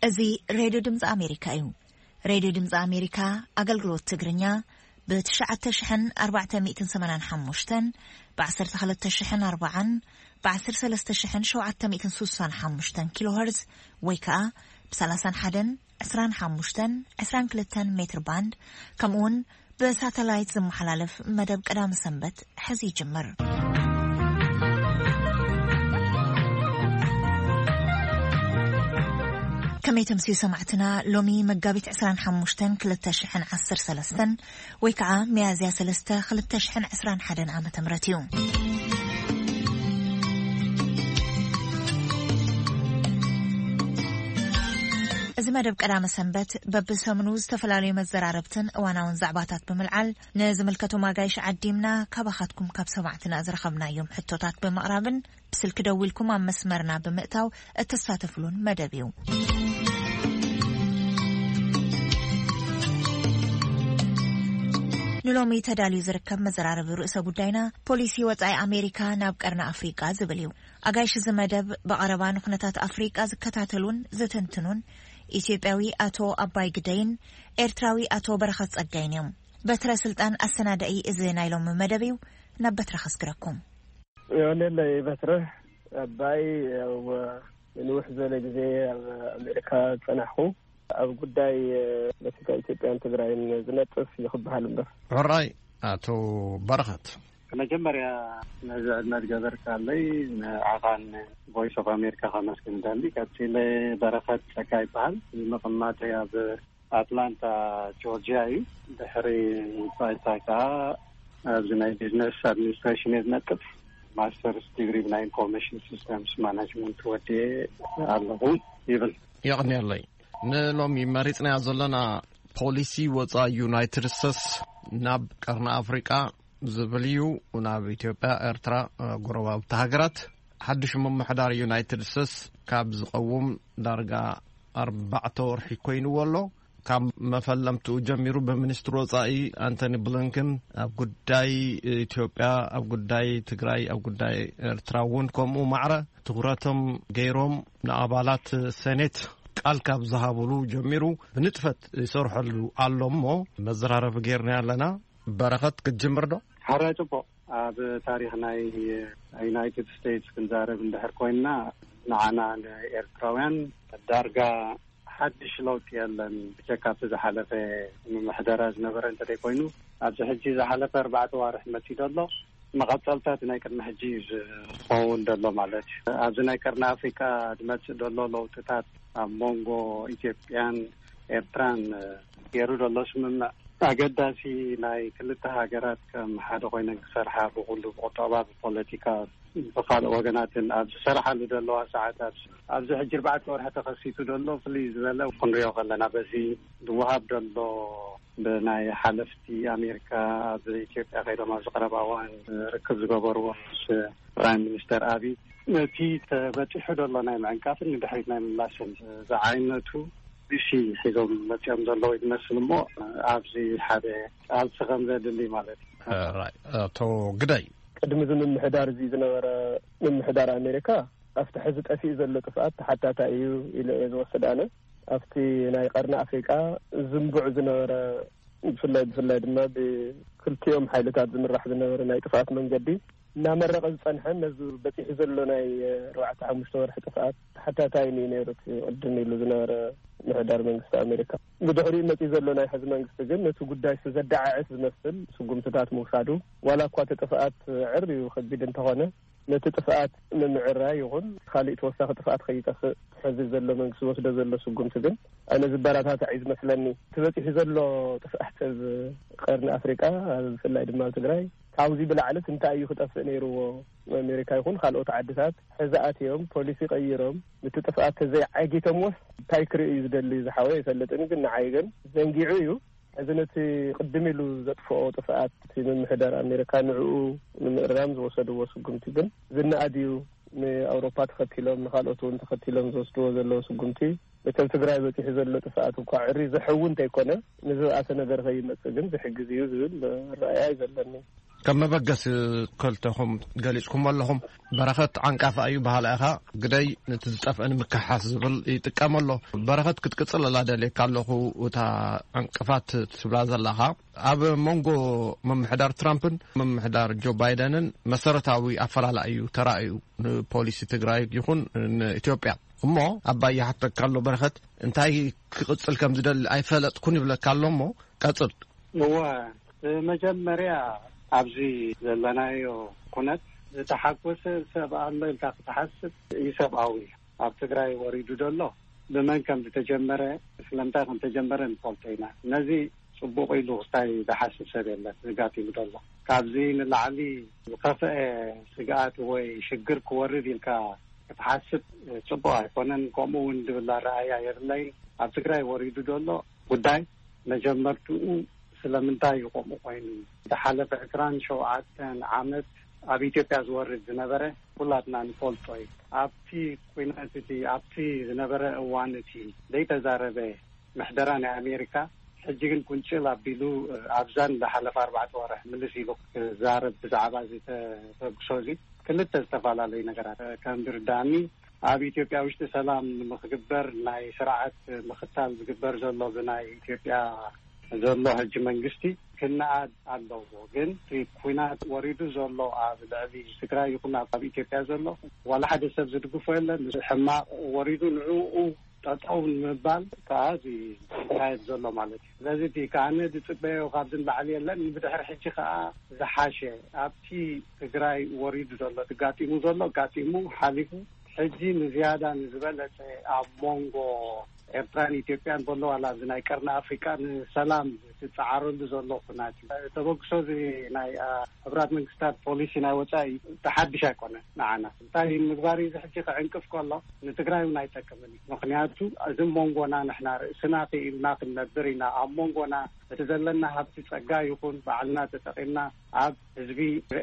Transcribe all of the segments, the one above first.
እዚ ሬድዮ ድምፂ ኣሜሪካ እዩ። ሬድዮ ድምፂ ኣሜሪካ ኣገልግሎት ትግርኛ ብ ትሽዓተ ሽሕን ኣርባዕተ ሚእትን ሰማንያን ሓሙሽተን፣ ብ ዓሰርተ ክልተ ሽሕን ኣርባዓን፣ ብ ዓሰርተ ሰለስተ ሽሕን ሸውዓተ ሚእትን ስሳን ሓሙሽተን ኪሎ ሄርዝ ወይ ከዓ ብ ሰላሳን ሓደን፣ ዕስራን ሓሙሽተን፣ ዕስራን ክልተን ሜትር ባንድ፣ ከምኡ እውን ብሳተላይት ዝመሓላለፍ መደብ ቀዳሚ ሰንበት ሕዚ ይጅምር። ከመይ ተምስዩ ሰማዕትና፣ ሎሚ መጋቢት ዕስራን ሓሙሽተን ክልተ ሽሕን ዓሰርተ ሰለስተን ወይ ከዓ ሚያዝያ ሰለስተ ክልተ ሽሕን ዕስራን ሓደን ዓመተ ምህረት እዩ። እዚ መደብ ቀዳመ ሰንበት በብሰሙኑ ዝተፈላለዩ መዘራረብትን እዋናውን ዛዕባታት ብምልዓል ንዝምልከቶም ኣጋይሽ ዓዲምና ካባኻትኩም ካብ ሰማዕትና ዝረኸብናዮም ሕቶታት ብምቕራብን ብስልኪ ደዊልኩም ኣብ መስመርና ብምእታው እትሳተፍሉን መደብ እዩ። ንሎሚ ተዳልዩ ዝርከብ መዘራረቢ ርእሰ ጉዳይና ፖሊሲ ወጻኢ ኣሜሪካ ናብ ቀርኒ ኣፍሪቃ ዝብል እዩ። ኣጋይሽ እዚ መደብ ብቐረባ ንኩነታት ኣፍሪቃ ዝከታተሉን ዝትንትኑን ኢትዮጵያዊ ኣቶ ኣባይ ግደይን ኤርትራዊ ኣቶ በረኸት ጸጋይን እዮም። በትረ ስልጣን ኣሰናዳኢ እዚ ናይ ሎሚ መደብ እዩ። ናብ በትረ ከስግረኩም። የቐንየለይ በትረ ኣባይ፣ ያው ንውሕ ዝበለ ግዜ ኣብ ኣሜሪካ ዝጸናሕኩ፣ ኣብ ጉዳይ ፖለቲካ ኢትዮጵያን ትግራይን ዝነጥፍ እዩ ክበሃል እምበር። ሕራይ ኣቶ በረኸት። መጀመርያ ነዚ ዕድመ ዝገበርካለይ ንዓኻን ቮይስ ኦፍ ኣሜሪካ ከመስግን እደሊ። ቀጺለ በረኸት ጸጋ ይበሃል። መቐማጠይ ኣብ ኣትላንታ ጆርጂያ እዩ። ድሕሪ ባይታ ከኣ ኣብዚ ናይ ቢዝነስ ኣድሚኒስትሬሽን እየ ዝነጥፍ። ማስተርስ ዲግሪ ብናይ ኢንፎርሜሽን ሲስተምስ ማናጅመንት ወዲኤ ኣለኹ ይብል። የቕንየለይ። ንሎሚ መሪጽናዮ ዘለና ፖሊሲ ወጻኢ ዩናይትድ ስቴትስ ናብ ቀርኒ ኣፍሪቃ ዝብል እዩ። ናብ ኢትዮጵያ፣ ኤርትራ፣ ጎረባብቲ ሃገራት ሓድሽ ምምሕዳር ዩናይትድ ስቴትስ ካብ ዝቐውም ዳርጋ ኣርባዕተ ወርሒ ኮይንዎ ኣሎ። ካብ መፈለምትኡ ጀሚሩ ብሚኒስትሪ ወጻኢ ኣንቶኒ ብሊንከን ኣብ ጉዳይ ኢትዮጵያ፣ ኣብ ጉዳይ ትግራይ፣ ኣብ ጉዳይ ኤርትራ እውን ከምኡ ማዕረ ትኹረቶም ገይሮም ንኣባላት ሴኔት ቃል ካብ ዝሃብሉ ጀሚሩ ብንጥፈት ይሰርሐሉ ኣሎ እሞ መዘራረቢ ገይርና ኣለና። በረኸት ክትጅምር ዶ? ሓራይ ጽቡቕ። ኣብ ታሪኽ ናይ ዩናይትድ ስቴትስ ክንዛረብ እንድሕር ኮይንና ንዓና ንኤርትራውያን ዳርጋ ሓድሽ ለውጢ የለን። ብጀካ ኣብቲ ዝሓለፈ ምምሕደራ ዝነበረ እንተደይ ኮይኑ ኣብዚ ሕጂ ዝሓለፈ ኣርባዕተ ዋርሕ መጺኡ ዘሎ መቐጸልታት ናይ ቅድሚ ሕጂ እዩ ዝኸውን ዘሎ ማለት እዩ። ኣብዚ ናይ ቀርኒ ኣፍሪካ ዝመጽእ ዘሎ ለውጥታት ኣብ መንጎ ኢትዮጵያን ኤርትራን ገይሩ ዘሎ ስምምዕ ኣገዳሲ ናይ ክልተ ሃገራት ከም ሓደ ኮይነን ክሰርሓ ብኩሉ ብቁጠባ ብፖለቲካ ብካልእ ወገናትን ኣብ ዝሰርሓሉ ዘለዋ ሰዓት ኣብዚ ኣብዚ ሕጂ ኣርባዕተ ወርሒ ተኸሲቱ ዘሎ ፍልይ ዝበለ ክንሪኦ ከለና በዚ ዝወሃብ ዘሎ ብናይ ሓለፍቲ ኣሜሪካ ኣብ ኢትዮጵያ ከይዶም ኣብዚ ቀረባ እዋን ርክብ ዝገበርዎ ምስ ፕራይም ሚኒስተር ኣብይ ነቲ ተበፂሑ ዘሎ ናይ ምዕንቃፍን ንድሕሪት ናይ ምምላስን ዝዓይነቱ ቢሲ ሒዞም መፂኦም ዘለዉ ይመስል እሞ ኣብዚ ሓደ ቃልሲ ከም ዘድሊ ማለት እዩ። ራይ ኣቶ ግዳይ ቅድሚ እዚ ምምሕዳር እዚ ዝነበረ ምምሕዳር ኣሜሪካ ኣብቲ ሕዚ ጠፊኡ ዘሎ ጥፍኣት ተሓታታይ እዩ ኢለ እየ ዝወስድ ኣነ። ኣብቲ ናይ ቀርኒ ኣፍሪቃ ዝንቡዕ ዝነበረ ብፍላይ ብፍላይ ድማ ብክልቲኦም ሓይልታት ዝምራሕ ዝነበረ ናይ ጥፍኣት መንገዲ እናመረቐ ዝጸንሐን ነዚ በጺሑ ዘሎ ናይ ኣርባዕተ ሓሙሽተ ወርሒ ጥፍኣት ተሓታታይ እዩ ነይሩ። እቲ ቅድም ኢሉ ዝነበረ ምሕዳር መንግስቲ ኣሜሪካ ብድሕሪኡ መጺኡ ዘሎ ናይ ሕዚ መንግስቲ ግን ነቲ ጉዳይ ዘደዓዕስ ዝመስል ስጉምትታት ምውሳዱ ዋላ እኳ እቲ ጥፍኣት ዕር እዩ ከቢድ እንተኾነ ነቲ ጥፍኣት ንምዕራይ ይኹን ካሊእ ተወሳኺ ጥፍኣት ከይጠፍእ ሕዚ ዘሎ መንግስቲ ዝወስዶ ዘሎ ስጉምቲ ግን ኣነ ዝበረታታዕ እዩ ዝመስለኒ። እቲ በፂሑ ዘሎ ጥፍኣት ኣብ ቀርኒ ኣፍሪቃ ብፍላይ ድማ ኣብ ትግራይ ካብዚ ብላዕልስ እንታይ እዩ ክጠፍእ ነይርዎ? ኣሜሪካ ይኹን ካልኦት ዓድታት ሕዚ ኣትዮም ፖሊሲ ቀይሮም ነቲ ጥፍኣት ተዘይዓጊቶምዎስ እንታይ ክርኢ እዩ ዝደሊ ዝሓወ ይፈልጥን ግን ንዓይ ግን ዘንጊዑ እዩ። እዚ ነቲ ቅድም ኢሉ ዘጥፍኦ ጥፍኣት እቲ ምምሕዳር ኣሜሪካ ንዕኡ ንምእራም ዝወሰድዎ ስጉምቲ ግን ዝነኣድ እዩ። ንኣውሮፓ ተኸቲሎም፣ ንኻልኦት እውን ተኸቲሎም ዝወስድዎ ዘለዉ ስጉምቲ፣ እቲ ኣብ ትግራይ በፂሑ ዘሎ ጥፍኣት እኳ ዕሪ ዘሕዊ እንተይኮነ፣ ንዝበኣሰ ነገር ከይመፅእ ግን ዝሕግዝ እዩ ዝብል ረኣያ እዩ ዘለኒ። ከም መበገሲ ክልተኹም ገሊጽኩም ኣለኹም። በረኸት ዓንቃፋ እዩ በሃላ ኢኻ፣ ግደይ ነቲ ዝጠፍአ ንምክሓስ ዝብል ይጥቀም ኣሎ። በረኸት ክትቅጽል ኣላ ደልየካ ኣለኹ፣ እታ ዕንቅፋት ትብላ ዘለኻ። ኣብ መንጎ ምምሕዳር ትራምፕን ምምሕዳር ጆ ባይደንን መሰረታዊ ኣፈላላይ እዩ ተራእዩ፣ ንፖሊሲ ትግራይ ይኹን ንኢትዮጵያ። እሞ ኣባይ ይሓተካ ኣሎ በረኸት፣ እንታይ ክቕጽል ከም ዝደሊ ኣይፈለጥኩን ይብለካ ኣሎ። እሞ ቀጽል። እወ፣ መጀመርያ ኣብዚ ዘለናዮ ኩነት ዝተሓጎሰ ሰብ ኣሎ ኢልካ ክትሓስብ ኢሰብኣዊ እዩ። ኣብ ትግራይ ወሪዱ ዘሎ ብመን ከም ዝተጀመረ፣ ስለምንታይ ከም ተጀመረ ንፈልጦ ኢና። ነዚ ጽቡቕ ኢሉ ክስታይ ዝሓስብ ሰብ የለን። ዘጋጢሙ ዘሎ ካብዚ ንላዕሊ ዝኸፍአ ስግኣት ወይ ሽግር ክወርድ ኢልካ ክትሓስብ ጽቡቕ ኣይኮነን። ከምኡ እውን ዝብል ኣረኣእያ የብለይን። ኣብ ትግራይ ወሪዱ ዘሎ ጉዳይ መጀመርትኡ ስለምንታይ እዩ ከምኡ ኮይኑ? ዝሓለፈ ዕስራን ሸውዓተን ዓመት ኣብ ኢትዮጵያ ዝወርድ ዝነበረ ኩላትና ንፈልጦ እዩ። ኣብቲ ኩናት እቲ፣ ኣብቲ ዝነበረ እዋን እቲ ዘይተዛረበ ምሕደራ ናይ ኣሜሪካ፣ ሕጂ ግን ቁንጭል ኣቢሉ ኣብዛን ዝሓለፈ ኣርባዕተ ወርሕ ምልስ ኢሉ ክዛረብ ብዛዕባ እዚ ተበግሶ እዚ ክልተ ዝተፈላለዩ ነገራት ከም ዝርዳእኒ፣ ኣብ ኢትዮጵያ ውሽጢ ሰላም ንምክግበር ናይ ስርዓት ምክታል ዝግበር ዘሎ ብናይ ኢትዮጵያ ዘሎ ሕጂ መንግስቲ ክነኣድ ኣለዎ። ግን እቲ ኩናት ወሪዱ ዘሎ ኣብ ልዕሊ ትግራይ ይኹን ኣብ ኢትዮጵያ ዘሎ ዋላ ሓደ ሰብ ዝድግፎ የለን። ሕማቕ ወሪዱ ንዕኡ ጠጠው ንምባል ከዓ እዚ ዝካየድ ዘሎ ማለት እዩ። ስለዚ እቲ ከዓነ ዝፅበዮ ካብዚ ንላዕሊ የለን። ብድሕሪ ሕጂ ከዓ ዝሓሸ ኣብቲ ትግራይ ወሪዱ ዘሎ፣ ጋጢሙ ዘሎ ጋጢሙ ሓሊፉ፣ ሕጂ ንዝያዳ ንዝበለፀ ኣብ መንጎ ኤርትራን ኢትዮጵያን ዘሎ ዋላ ኣብዚ ናይ ቀርኒ ኣፍሪቃ ንሰላም ዝፀዓረሉ ዘሎ ኩናት እዩ። ተበግሶ እዚ ናይ፣ አ፣ ሕቡራት መንግስታት ፖሊሲ ናይ ወፃኢ ተሓድሽ ኣይኮነን ንዓና። እንታይ ምግባር እዩ? እዚ ሕጂ ክዕንቅፍ ከሎ ንትግራይ እውን ኣይጠቅምን እዩ። ምክንያቱ እዚ መንጎና ንሕና ርእስና ክኢልና ክንነብር ኢና። ኣብ መንጎና እቲ ዘለና ሃብቲ ጸጋ ይኹን ባዕልና ተጠቒምና ኣብ ህዝቢ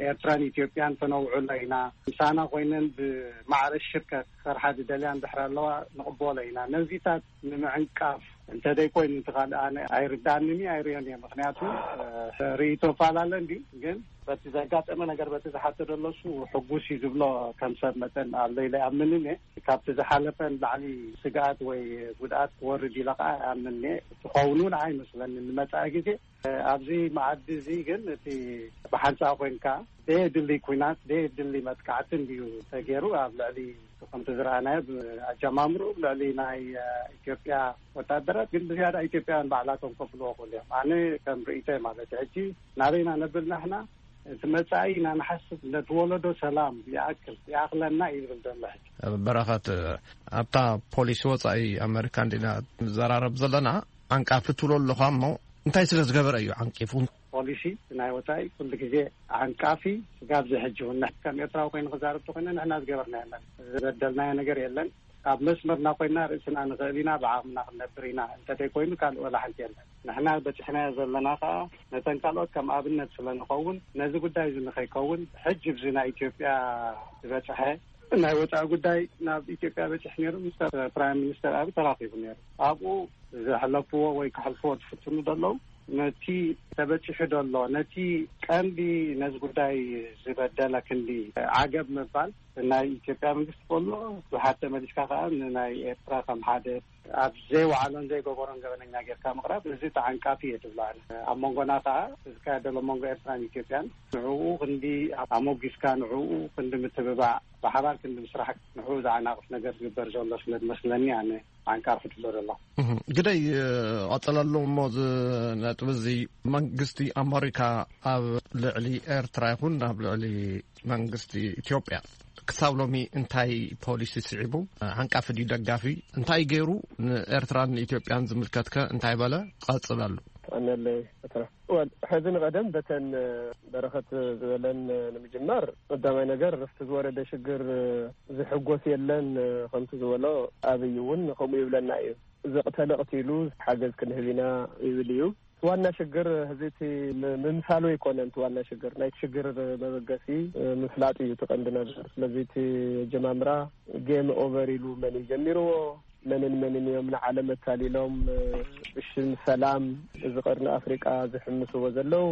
ኤርትራን ኢትዮጵያን ከነውዕሎ ኢና። ምሳና ኮይነን ብማዕረ ሽርከ ክሰርሓ ዝደልያ እንድሕር ኣለዋ ንቕበሎ ኢና። ነዚታት ንምዕንቃፍ እንተደይ ኮይኑ እቲ ካልእ ኣነ ኣይርዳእንን እዩ፣ ኣይርእዮን እየ። ምክንያቱ፣ እ፣ ርእይቶ እፈላለ እንድዩ፣ ግን በቲ ዘጋጠመ ነገር፣ በቲ ዝሓቶ ዘሎ እሱ ሕጉስ እዩ ዝብሎ ከም ሰብ መጠን ኣሎ ኢለ ኣይኣምንን እየ። ካብቲ ዝሓለፈ ንላዕሊ ስግኣት ወይ ጉድኣት ክወርድ ኢለ ከዓ ኣይኣምንን እየ። ትኸውን እውን ኣይመስለንን ንመጻኢ ግዜ። እ፣ ኣብዚ መኣዲ እዚ ግን እቲ ብሓንሳእ ኮይንካ ደየድሊ ኲናት፣ ደየድሊ መጥቃዕቲ እንድዩ ተገይሩ ኣብ ልዕሊ፣ ከምቲ ዝረኣናዮ፣ ብኣጀማምርኡ ልዕሊ ናይ፣ እ፣ ኢትዮጵያ ወታደራት፣ ግን ብዝያዳ ኢትዮጵያውያን ባዕላቶም ከፍልዎ ክእሉ እዮም። ኣነ ከም ርእይቶይ ማለት እዩ። ሕጂ ናበይና ነብል ናሕና? እቲ መጻኢ ኢና ንሓስብ፣ ነቲ ወለዶ ሰላም ይኣክል፣ ይኣኽለና እዩ ዝብል ዘሎ ሕጂ። በረኸት፣ ኣብታ ፖሊሲ ወጻኢ ኣመሪካ እንዲና ንዘራረብ ዘለና፣ ዓንቃፊ ትብሎ ኣለኻ እሞ፣ እንታይ ስለ ዝገበረ እዩ ዓንቂፉ? ፖሊሲ ናይ ወጻኢ ኩሉ ግዜ ዓንቃፊ፣ ስጋብ እዚ ሕጂ እውን ንሕ-፣ ከም ኤርትራዊ ኮይኑ ክዛረብ ተኮይነ ንሕና ዝገበርና የለን፣ ዝበደልናዮ ነገር የለን። ኣብ መስመርና ኮይና ርእስና ንኽእል ኢና፣ ብዓቕምና ክንነብር ኢና እንተደይ ኮይኑ ካልእ ወላ ሓንቲ የለን። ንሕና በፂሕናዮ ዘለና ከዓ ነተን ካልኦት ከም ኣብነት ስለ ንኸውን፣ ነዚ ጉዳይ እዚ ንኸይከውን ሕጂ ብዚ ናይ ኢትዮጵያ ዝበፅሐ ናይ ወፃኢ ጉዳይ ናብ ኢትዮጵያ በፂሕ ነይሩ፣ ምስ ፕራይም ሚኒስተር ኣብይ ተራኺቡ ነይሩ። ኣብኡ ዘሕለፍዎ ወይ ክሕልፍዎ ዝፍትኑ ዘለዉ፣ ነቲ ተበፂሑ ዘሎ፣ ነቲ ቀንዲ ነዚ ጉዳይ ዝበደለ ክንዲ ዓገብ ምባል ናይ ኢትዮጵያ መንግስቲ ከሎ፣ ብሓደ መሊስካ ከዓ ንናይ ኤርትራ ከም ሓደ ኣብ ዘይወዓሎን ዘይገበሮን ገበነኛ ጌርካ ምቕራብ፣ እዚ ተዓንቃፊ እየ ዝብሎ ኣነ። ኣብ መንጎና ከዓ እዚ ዝካየድ ዘሎ መንጎ ኤርትራን ኢትዮጵያን፣ ንዕኡ ክንዲ ኣሞጊስካ፣ ንዕኡ ክንዲ ምትብባዕ፣ ብሓባር ክንዲ ምስራሕ፣ ንዕኡ ዝዓናቕፍ ነገር ዝግበር ዘሎ ስለ ዝመስለኒ ኣነ ዓንቃፊ ትብሎ ዘለኹ። እህ፣ ግደይ፣ ቀጽለሉ እሞ፣ እዚ ነጥቢ እዚ መንግስቲ ኣመሪካ ኣብ ልዕሊ ኤርትራ ይኹን ኣብ ልዕሊ መንግስቲ ኢትዮጵያ ክሳብ ሎሚ እንታይ ፖሊሲ ስዒቡ? ዓንቃፊ ድዩ ደጋፊ? እንታይ ገይሩ ንኤርትራን ንኢትዮጵያን ዝምልከትከ እንታይ በለ? ቀጽለሉ። ኣነለይ ኤርትራ። ወል፣ ሕዚ ንቐደም በተን በረኸት ዝበለን ንምጅማር፣ ቀዳማይ ነገር፣ ርፍቲ ዝወረደ ሽግር ዝሕጎስ የለን። ከምቲ ዝበሎ፣ ኣብይ እውን ከምኡ ይብለና እዩ። ዘቕተለ ቀቲሉ ሓገዝ ክንህብ ኢና ይብል እዩ። ዋና ሽግር ህዚ እቲ ም-፣ ምምሳሉ ኣይኮነን። እቲ ዋና ሽግር ናይቲ ሽግር መበገሲ፣ እ፣ ምፍላጥ እዩ እቲ ቀንዲ ነገር። ስለዚ እቲ ጀማምራ ጌም ኦቨር ኢሉ መን እዩ ጀሚርዎ፣ መንን መንን እዮም ንዓለም ኣታሊሎም፣ እ፣ ብሽም ሰላም እዚ ቀርኒ ኣፍሪቃ ዝሕምስዎ ዘለዉ?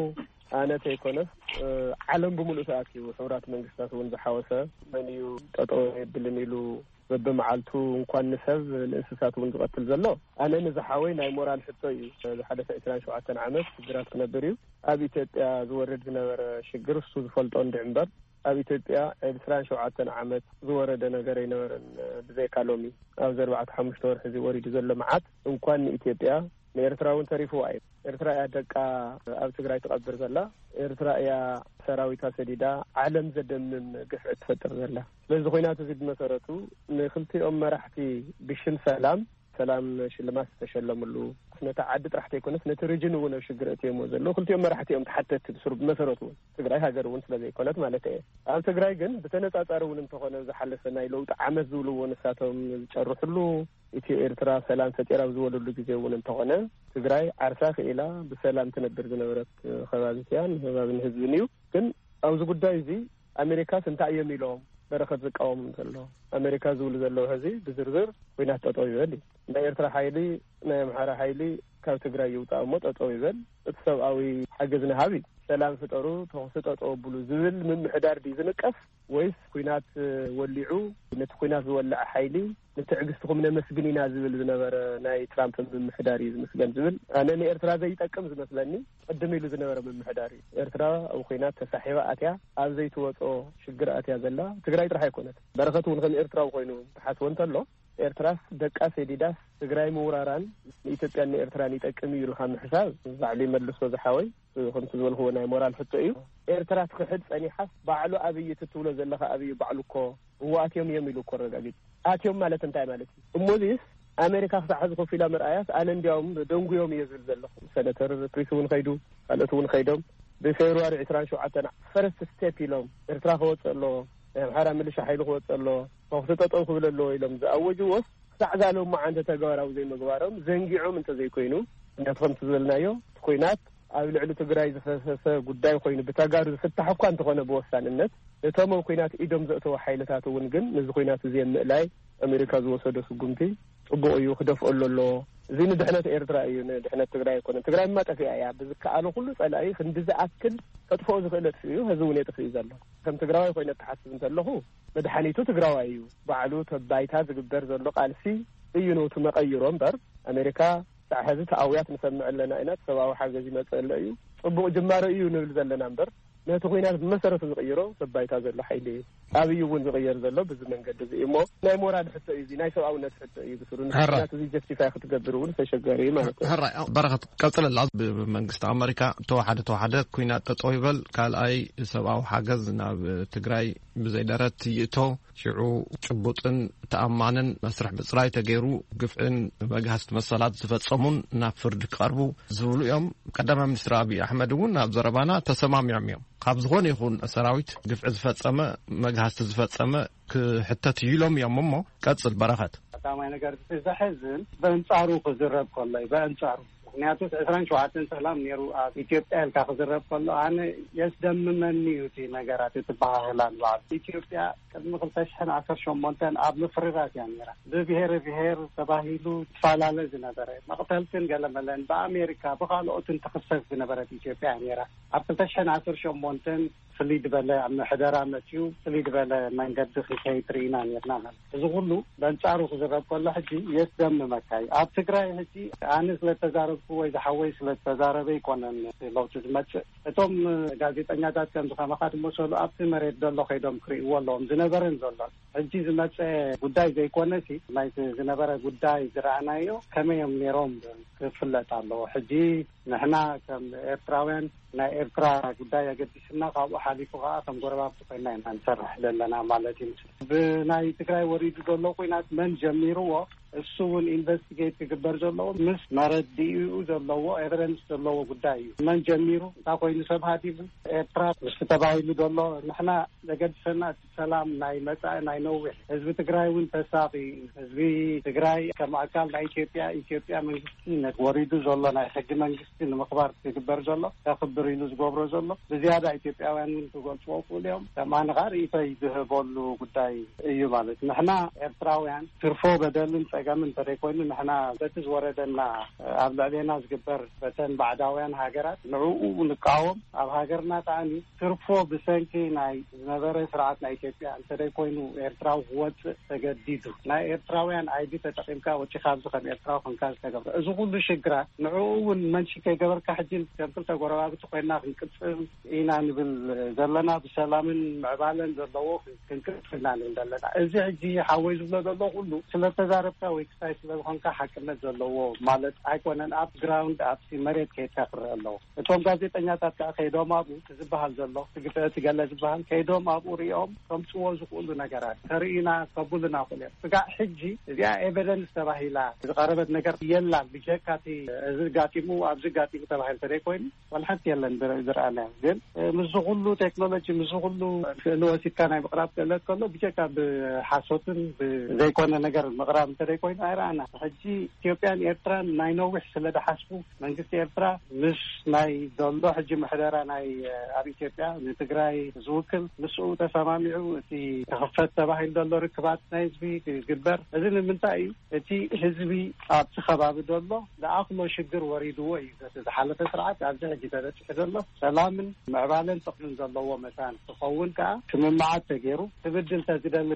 ኣነ ተይኮነስ፣ እ፣ ዓለም ብምሉእ ተኣኪቡ፣ ሕቡራት መንግስታት እውን ዝሓወሰ፣ መን እዩ ጠጠው የብልን ኢሉ በብመዓልቱ እንኳን ንሰብ ንእንስሳት እውን ዝቐትል ዘሎ? ኣነ ንዝሓወይ ናይ ሞራል ሕቶ እዩ። ዝሓለፈ ዕስራን ሸውዓተን ዓመት ሽግራት ክነብር እዩ። ኣብ ኢትዮጵያ ዝወርድ ዝነበረ ሽግር እሱ ዝፈልጦ እንድዒ እምበር፣ ኣብ ኢትዮጵያ ዕስራን ሸውዓተን ዓመት ዝወረደ ነገር ኣይነበረን። ብዘይካ ሎሚ ኣብዚ ኣርባዕተ ሓሙሽተ ወርሒ እዚ ወሪዱ ዘሎ መዓት እንኳን ንኢትዮጵያ፣ ንኤርትራ እውን ተሪፍዋ እዩ። ኤርትራ እያ ደቃ ኣብ ትግራይ ትቐብር ዘላ። ኤርትራ እያ ሰራዊታ ሰዲዳ ዓለም ዘደምም ግፍዒ ትፈጥር ዘላ። ስለዚ ኩናት እዚ ብመሰረቱ ንክልቲኦም መራሕቲ ብሽም ሰላም፣ ሰላም ሽልማት ዝተሸለምሉ፣ ነታ ዓዲ ጥራሕ ተይኮነስ ነቲ ሪጅን እውን ኣብ ሽግር እትየሞ ዘለዉ ክልቲኦም መራሕቲ እዮም ተሓተትቲ ብስሩ። ብመሰረቱ እውን ትግራይ ሃገር እውን ስለ ዘይኮነት ማለት እየ። ኣብ ትግራይ ግን ብተነጻጻሪ እውን እንተኾነ ዝሓለፈ ናይ ለውጢ ዓመት ዝብልዎ ንሳቶም ዝጨርሕሉ፣ ኢትዮ ኤርትራ ሰላም ፈጢራ ኣብ ዝበለሉ ግዜ እውን እንተኾነ ትግራይ ዓርሳ ክኢላ ብሰላም ትነብር ዝነበረት ከባቢት እያ፣ ንከባቢን ህዝብን እዩ። ግን ኣብዚ ጉዳይ እዚ ኣሜሪካስ እንታይ እዮም ኢሎም በረኸት ዝቃወሙ ዘሎ? ኣሜሪካ ዝብሉ ዘለዉ ሕዚ ብዝርዝር ኩናት ጠጠው ይበል እዩ። ናይ ኤርትራ ሓይሊ፣ ናይ ኣምሓራ ሓይሊ ካብ ትግራይ ይውጣእ እሞ ጠጠው ይበል፣ እቲ ሰብኣዊ ሓገዝ ንሃብ እዩ። ሰላም ፍጠሩ፣ ተኹሲ ጠጠው ኣብሉ ዝብል ምምሕዳር ድዩ ዝንቀፍ? ወይስ ኩናት ወሊዑ ነቲ ኩናት ዝወልዐ ሓይሊ ንትዕግስትኹም ነመስግን ኢና ዝብል ዝነበረ ናይ ትራምፕ ምምሕዳር እዩ ዝምስገን ዝብል? ኣነ ንኤርትራ ዘይጠቅም ዝመስለኒ ቅድም ኢሉ ዝነበረ ምምሕዳር እዩ። ኤርትራ ኣብ ኩናት ተሳሒባ ኣትያ ኣብ ዘይትወጾ ሽግር ኣትያ ዘላ ትግራይ ጥራሕ ኣይኮነት። በረኸት እውን ከም ኤርትራዊ ኮይኑ ትሓስቦ እንተሎ ኤርትራስ ደቃ ሰዲዳስ ትግራይ ምውራራን ንኢትዮጵያን ንኤርትራን ይጠቅም እዩ ኢልካ ምሕሳብ ባዕሉ ይመልሶ ዝሓወይ። ከምቲ ዝበልክዎ ናይ ሞራል ሕቶ እዩ። ኤርትራ ትክሕድ ጸኒሓስ ባዕሉ ኣብይ እቲ ትብሎ ዘለኻ ኣብይ ባዕሉ እኮ እዎ ኣትዮም እዮም ኢሉ እኮ ኣረጋጊጹ። ኣትዮም ማለት እንታይ ማለት እዩ? እሞዚስ ኣሜሪካ ክሳዕ ሕዚ ኮፍ ኢላ ምርኣያስ ኣነ እንዲያውም ደንጉዮም እየ ዝብል ዘለኹ። ሰነተር ክሪስ እውን ከይዱ፣ ካልኦት እውን ከይዶም ብፌብርዋሪ ዕስራን ሸውዓተን ፈረስት ስቴፕ ኢሎም ኤርትራ ክወፅእ ኣለዎ፣ ናይ ኣምሓራ ሚሊሻ ሓይሊ ክወፅእ ኣለዎ፣ ተኹሲ ጠጠው ክብል ኣለዎ ኢሎም ዝኣወጅዎስ ክሳዕ ዛሎም መዓንተ ተግባራዊ ዘይምግባሮም ዘንጊዖም እንተዘይኮይኑ፣ ነቲ ከምቲ ዝበልናዮ እቲ ኩናት ኣብ ልዕሊ ትግራይ ዝፈሰሰ ጉዳይ ኮይኑ ብተጋሩ ዝፍታሕ እኳ እንተኾነ ብወሳንነት ነቶም ኣብ ኩናት ኢዶም ዘእተዉ ሓይልታት እውን ግን ነዚ ኩናት እዚ ኣብ ምእላይ ኣሜሪካ ዝወሰዶ ስጉምቲ ጽቡቕ እዩ፣ ክደፍኦ ኣለዎ። እዚ ንድሕነት ኤርትራ እዩ፣ ንድሕነት ትግራይ ኣይኮነን። ትግራይ ድማ ጠፊኣ እያ። ብዝከኣሎ ኩሉ ጸላኢ ክንዲ ዝኣክል ከጥፍኦ ዝኽእል ኣጥፊኡ እዩ፣ ሕዚ እውን የጥፍእ እዩ ዘሎ። ከም ትግራዋይ ኮይነ እትሓስብ እንተለኹ መድሓኒቱ ትግራዋይ እዩ። ባዕሉ ተባይታ ዝግበር ዘሎ ቃልሲ እዩ ነውቲ መቐይሮ እምበር ኣሜሪካ ሳዕ ሕዚ ተኣውያት ንሰምዕ ኣለና ኢና፣ ሰብኣዊ ሓገዝ ይመጽእ ኣሎ እዩ፣ ጽቡቕ ጅማሮ እዩ ንብል ዘለና እምበር ነቲ ኩናት ብመሰረቱ ዝቕይሮ ተባይታ ዘሎ ሓይሊ እዩ። ኣብይ እውን ዝቕየር ዘሎ ብዚ መንገዲ እዚ እዩ እሞ ናይ ሞራል ሕቶ እዩ፣ እዚ ናይ ሰብኣውነት ሕቶ እዩ። ብስሩ ሕራይ። ንኩናት እዚ ጀስቲፋይ ክትገብር እውን ተሸጋሪ እዩ ማለት እዩ። ሕራይ፣ በረኸት ቀጽለላ። ብመንግስቲ ኣመሪካ ተዋሓደ ተዋሓደ ኩናት ጠጠው ይበል፣ ካልኣይ ሰብኣዊ ሓገዝ ናብ ትግራይ ብዘይደረት ይእቶ፣ ሽዑ ጭቡጥን ተኣማንን መስርሕ ምፅራይ ተገይሩ ግፍዕን መግሃስቲ መሰላት ዝፈጸሙን ናብ ፍርዲ ክቐርቡ ዝብሉ እዮም። ቀዳማይ ሚኒስትር ኣብይ ኣሕመድ እውን ኣብ ዘረባና ተሰማሚዖም እዮም። ካብ ዝኾነ ይኹን ሰራዊት ግፍዒ ዝፈጸመ፣ መግሃስቲ ዝፈጸመ ክሕተት እዩ ኢሎም እዮም። እሞ ቀጽል በረኸት። ቀዳማይ ነገር እቲ ዘሕዝን በእንጻሩ ክዝረብ ከሎ እዩ፣ በእንጻሩ። ምክንያቱ ዕስራን ሸውዓተን ሰላም ነይሩ ኣብ ኢትዮጵያ ኢልካ ክዝረብ ከሎ ኣነ የስደምመኒ እዩ እቲ ነገራት፣ እቲ ባህላን ባዕሉ። ኢትዮጵያ ቅድሚ ክልተ ሽሕን ዓሰርተ ሸሞንተን ኣብ ምፍርራት እያ ነይራ። ብብሄር ብሄር ተባሂሉ ትፈላለ ዝነበረ መቕተልትን ገለመለን ብኣሜሪካ ብኻልኦትን ትኽሰስ ዝነበረት ኢትዮጵያ እያ ነይራ። ኣብ ክልተ ሽሕን ዓሰርተ ሸሞንተን ፍልይ ዝበለ ኣብ ምሕደራ መፅዩ ፍልይ ዝበለ መንገዲ ክከይድ ርኢና ነርና ማለት እዩ። እዚ ኩሉ በንፃሩ ክዝረብ ከሎ ሕጂ የስደምመካ እዩ። ኣብ ትግራይ ሕጂ ኣነ ስለተዛረብኩ ወይ ዝሓወይ ስለተዛረበ ኣይኮነን ለውጢ ዝመፅእ። እቶም ጋዜጠኛታት ከምዚ ከማኻ ዝመሰሉ ኣብቲ መሬት ዘሎ ከይዶም ክርእይዎ ኣለዎም ዝነበረን ዘሎን። ሕጂ ዝመፀ ጉዳይ ዘይኮነሲ ናይቲ ዝነበረ ጉዳይ ዝረኣናዮ ከመይ እዮም ነይሮም ክፍለጥ ኣለዎ። ሕጂ ንሕና ከም ኤርትራውያን ናይ ኤርትራ ጉዳይ ኣገዲስና ካብኡ ሓሊፉ ከዓ ከም ጎረባብቲ ኮይና ኢና ንሰርሕ ዘለና ማለት እዩ። ብናይ ትግራይ ወሪዱ ዘሎ ኲናት መን ጀሚርዎ እሱ እውን ኢንቨስቲጌት ክግበር ዘለዎ ምስ መረዲኡ ዘለዎ ኤቨደንስ ዘለዎ ጉዳይ እዩ። መን ጀሚሩ፣ እንታይ ኮይኑ ሰብ ሃዲሙ፣ ኤርትራ ምስቲ ተባሂሉ ዘሎ ንሕና ዘገድሰና እቲ ሰላም ናይ መጻኢ ናይ ነዊሕ። ህዝቢ ትግራይ እውን ተሳቒ እዩ። ህዝቢ ትግራይ ከም ኣካል ናይ ኢትዮጵያ፣ ኢትዮጵያ መንግስቲ ነቲ ወሪዱ ዘሎ ናይ ሕጊ መንግስቲ ንምኽባር ዝግበር ዘሎ ከኽብር ኢሉ ዝገብሮ ዘሎ ብዝያዳ ኢትዮጵያውያን እውን ክገልፅዎ ክእሉ እዮም። ከም ኣነ ከዓ ርእይቶይ ዝህበሉ ጉዳይ እዩ ማለት ንሕና ኤርትራውያን ትርፎ በደልን ጸገምን እንተደይኮይኑ ንሕና በቲ ዝወረደና ኣብ ልዕሌና ዝግበር በተን ባዕዳውያን ሃገራት ንዕኡ ንቃወም። ኣብ ሃገርና ከዓኒ ትርፎ ብሰንኪ ናይ ዝነበረ ስርዓት ናይ ኢትዮጵያ እንተደይኮይኑ ኤርትራዊ ክወፅእ ተገዲዱ ናይ ኤርትራውያን ኣይዲ ተጠቂምካ ወፂኻ ኣብዚ ከም ኤርትራዊ ክንካ ዝተገብረ እዚ ኩሉ ሽግራት ንዕኡ እውን መንሽን ከይገበርካ ሕጂ ከም ክልተ ጎረባብቲ ኮይና ክንቅፅል ኢና ንብል ዘለና። ብሰላምን ምዕባለን ዘለዎ ክንቅፅል ኢና ንብል ዘለና። እዚ ሕጂ ሓወይ ዝብሎ ዘሎ ኩሉ ስለተዛረብካ ወይ ክሳይ ስለዝኾንካ ሓቅነት ዘለዎ ማለት ኣይኮነን። ኣብ ግራውንድ ኣብቲ መሬት ከይድካ ክረአ ኣለዎ። እቶም ጋዜጠኛታት ከዓ ከይዶም ኣብኡ እቲ ዝበሃል ዘሎ እቲ ግፍዒ እቲ ገለ ዝበሃል ከይዶም ኣብኡ ሪኦም ከምፅዎ ዝኽእሉ ነገራት ተርእዩና ከብሉና ክእሉ እዮም። ስጋዕ ሕጂ እዚኣ ኤቨደንስ ተባሂላ ዝቐረበት ነገር የላን። ብጀካ እቲ እዚ ጋጢሙ ኣብዚ ጋጢሙ ተባሂሉ ተደይኮይኑ ዋላ ሓንቲ የለን ዝረ- ዝረኣናዮ። ግን ምስዚ ኩሉ ቴክኖሎጂ ምስዚ ኩሉ ክእሊ ወሲድካ ናይ ምቕራብ ክእለት ከሎ ብጀካ ብሓሶትን ብዘይኮነ ነገር ምቕራብ እንተደይኮይኑ ኣይረኣና። ሕጂ ኢትዮጵያን ኤርትራን ናይ ነዊሕ ስለ ዝሓስቡ መንግስቲ ኤርትራ ምስ ናይ ዘሎ ሕጂ ምሕደራ ናይ ኣብ ኢትዮጵያ ንትግራይ ዝውክል ምስኡ ተሰማሚዑ እቲ ክኽፈት ተባሂሉ ዘሎ ርክባት ናይ ህዝቢ ክግበር። እዚ ንምንታይ እዩ? እቲ ህዝቢ ኣብቲ ከባቢ ዘሎ ዝኣኽሎ ሽግር ወሪድዎ እዩ። በቲ ዝሓለፈ ስርዓት ኣብዚ ሕጂ ተበፂሑ ዘሎ ሰላምን ምዕባለን ጥቕምን ዘለዎ መታን ክኸውን ከዓ ስምምዓት ተገይሩ ትብድል ተዝደሊ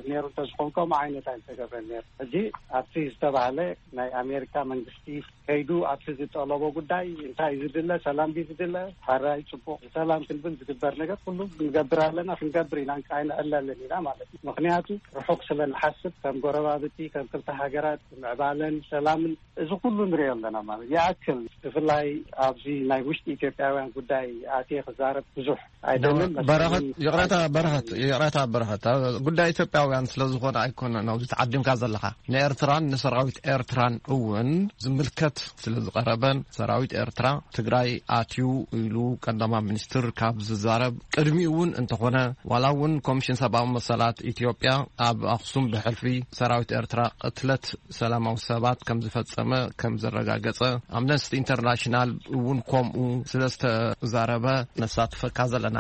ነይሩ እንተዝኾን ከምኡ ዓይነት ኣይምተገብረን ነይሩ። ሕጂ ኣብቲ ዝተባህለ ናይ ኣሜሪካ መንግስቲ ከይዱ ኣብቲ ዝጠለቦ ጉዳይ እንታይ እዩ ዝድለ? ሰላም ድዩ ዝድለ? ሕራይ ፅቡቕ ሰላም ክንብል ዝግበር ነገር ኩሉ ንገብር ኣለና፣ ክንገብር ኢና፣ ኣይንዕለልን ኢና ማለት እዩ። ምክንያቱ ርሑቕ ስለ ንሓስብ ከም ጎረባብቲ ከም ክልተ ሃገራት ምዕባለን ሰላምን እዚ ኩሉ ንሪኦ ኣለና ማለት ይኣክል። ብፍላይ ኣብዚ ናይ ውሽጢ ኢትዮጵያውያን ጉዳይ ኣትየ ክዛረብ ብዙሕ ኣይደልን። በረኸት፣ ይቕረታ በረኸት፣ ይቕረታ በረኸት፣ ጉዳይ ኢትዮጵያውያን ስለ ዝኾነ ኣይኮነን ኣብዚ ተዓዲምካ ዘለኻ። ንኤርትራን ንሰራዊት ኤርትራን እውን ዝምልከት ስለ ዝቐረበን ሰራዊት ኤርትራ ትግራይ ኣትዩ ኢሉ ቀዳማይ ሚኒስትር ካብ ዝዛረብ ቅድሚኡ እውን እንተኾነ ዋላ እውን ኮሚሽን ሰብኣዊ መሰላት ኢትዮጵያ ኣብ ኣኽሱም ብሕልፊ ሰራዊት ኤርትራ ቅትለት ሰላማዊ ሰባት ከም ዝፈጸመ ከም ዘረጋገጸ ኣምነስቲ ኢንተርናሽናል እውን ከምኡ ስለ ዝተዛረበ ነሳትፈካ ዘለና።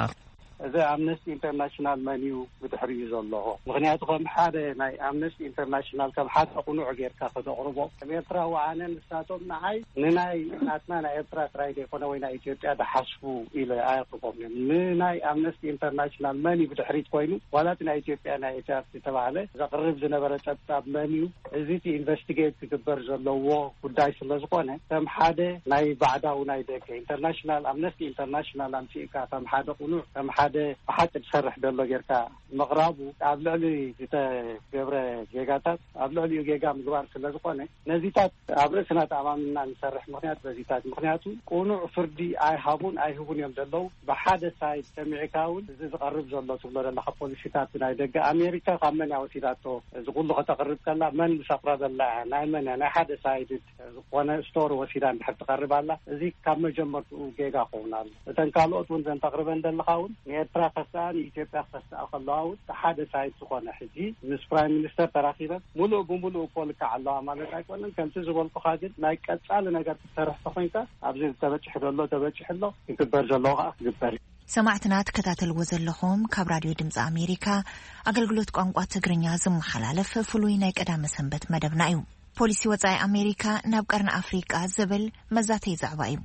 እዚ ኣምነስቲ ኢንተርናሽናል መን እዩ ብድሕሪኡ ዘሎ? ምክንያቱ ከም ሓደ ናይ ኣምነስቲ ኢንተርናሽናል ከም ሓደ ቁኑዕ ጌርካ ከተቕርቦ ከም ኤርትራዊ ኣነ ንሳቶም ንዓይ ንናይ ናትና ናይ ኤርትራ ጥራይ ዘይኮነ ወይ ናይ ኢትዮጵያ ዝሓስቡ ኢለ ኣየቕርቦም እዮም። ንናይ ኣምነስቲ ኢንተርናሽናል መን እዩ ብድሕሪት ኮይኑ ዋላ እቲ ናይ ኢትዮጵያ ናይ ኤች ኣር ቲ ዝተባህለ ዘቕርብ ዝነበረ ጸብጻብ መን እዩ? እዚ እቲ ኢንቨስቲጌት ክግበር ዘለዎ ጉዳይ ስለ ዝኾነ ከም ሓደ ናይ ባዕዳዊ ናይ ደገ ኢንተርናሽናል ኣምነስቲ ኢንተርናሽናል ኣምፂእካ ከም ሓደ ቁኑዕ ከም ሓደ ብሓቂ ዝሰርሕ ዘሎ ጌርካ ምቕራቡ ኣብ ልዕሊ ዝተገብረ ጌጋታት ኣብ ልዕሊኡ ጌጋ ምግባር ስለ ዝኾነ ነዚታት ኣብ ርእስና ተኣማምና ንሰርሕ። ምክንያት በዚታት ምክንያቱ ቁኑዕ ፍርዲ ኣይሃቡን ኣይህቡን እዮም ዘለዉ። ብሓደ ሳይድ ሰሚዕካ እውን እዚ ዝቐርብ ዘሎ ትብሎ ዘለካ ፖሊሲታት ናይ ደገ ኣሜሪካ ካብ መን እያ ወሲዳቶ? እዚ ኩሉ ከተቕርብ ከላ መን ምስ ኣቕረበላ እያ? ናይ መን እያ? ናይ ሓደ ሳይድ ዝኾነ ስቶሪ ወሲዳ እንድሕር ትቐርብ ኣላ። እዚ ካብ መጀመርትኡ ጌጋ ክኸውን ኣሎ። እተን ካልኦት እውን ዘን ተቕርበን ዘለካ እውን ንኤርትራ ከስኣ ንኢትዮጵያ ከስኣ ከለዋ እውን ሓደ ሳይድ ዝኾነ ሕጂ ምስ ፕራይም ሚኒስተር ተራኺበን ሙሉእ ብሙሉእ እኮ ልክዕ ኣለዋ ማለት ኣይኮነን። ከምቲ ዝበልኩኻ ግን ናይ ቀጻሊ ነገር ክትሰርሕ ተኾይንካ ኣብዚ ተበፂሑ ዘሎ ተበፂሑ ኣሎ፣ ክግበር ዘለዎ ከዓ ክግበር እዩ። ሰማዕትና ትከታተልዎ ዘለኹም ካብ ራድዮ ድምፂ ኣሜሪካ ኣገልግሎት ቋንቋ ትግርኛ ዝመሓላለፍ ፍሉይ ናይ ቀዳመ ሰንበት መደብና እዩ። ፖሊሲ ወፃኢ ኣሜሪካ ናብ ቀርኒ ኣፍሪቃ ዝብል መዛተይ ዛዕባ እዩ።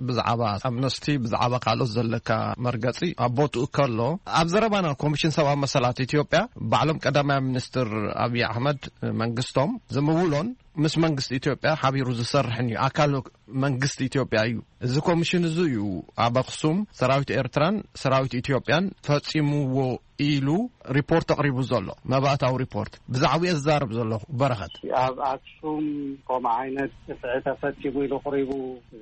ብዛዕባ ኣምነስቲ ብዛዕባ ካልኦት ዘለካ መርገፂ ኣብ ቦትኡ ከሎ ኣብ ዘረባና ኮሚሽን ሰብኣዊ መሰላት ኢትዮጵያ ባዕሎም ቀዳማይ ሚኒስትር ኣብይ ኣሕመድ መንግስቶም ዝምውሎን ምስ መንግስቲ ኢትዮጵያ ሓቢሩ ዝሰርሕን እዩ። ኣካል መንግስቲ ኢትዮጵያ እዩ። እዚ ኮሚሽን እዚ እዩ ኣብ ኣኽሱም ሰራዊት ኤርትራን ሰራዊት ኢትዮጵያን ፈጺምዎ ኢሉ ሪፖርት ኣቕሪቡ ዘሎ፣ መባእታዊ ሪፖርት። ብዛዕባኡ እየ ዝዛረብ ዘለኹ፣ በረኸት። ኣብ ኣክሱም ከምኡ ዓይነት ግፍዒ ተፈጺሙ ኢሉ ቅሪቡ